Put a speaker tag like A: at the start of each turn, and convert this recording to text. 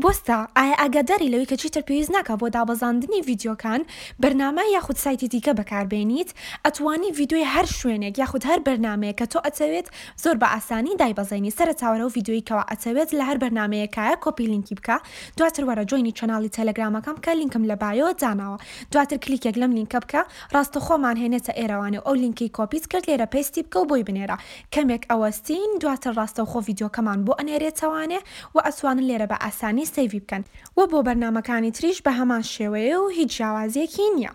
A: بوەستە، ئایا ئاگاداری لەوەی کە چیتر پێویست ناکا بۆ دابەزاندنی ڤیدیۆکان بەرنامە یاخود سایتی دیکە بەکاربێنیت؟ ئەتوانی ڤیدیۆی هەر شوێنێک یاخود هەر بەرنامەیەک کە تۆ ئەتەوێت زۆر بە ئاسانی دایبەزێنی. سەرەتا وەرە ئەو ڤیدیۆیەی کەوا ئەتەوێت لە هەر بەرنامەیەکایە کۆپی لینکی بکە، دواتر وەرە join ی channel ی تێلێگرامەکەم بکە لینکم لە bio داناوە دواتر کلیکێک لەم لینکە بکە ڕاستەخۆمان هێنێتە ئێرەوانێ و ئەو لینکەی کۆپیت کرد لێرە paste ی بکە و بۆی بنێرە کەمێک ئەوەستین دواتر ڕاستەوخۆ ڤیدیۆکەمان بۆ ئەنێرێتەوانێ و ئەتوانن لێرە بە ئاسانی save ی بکەن وە بۆ بەرنامەکانی تریش بە هەمان شێوەیە و هیچ جیاوازیەکی نیە.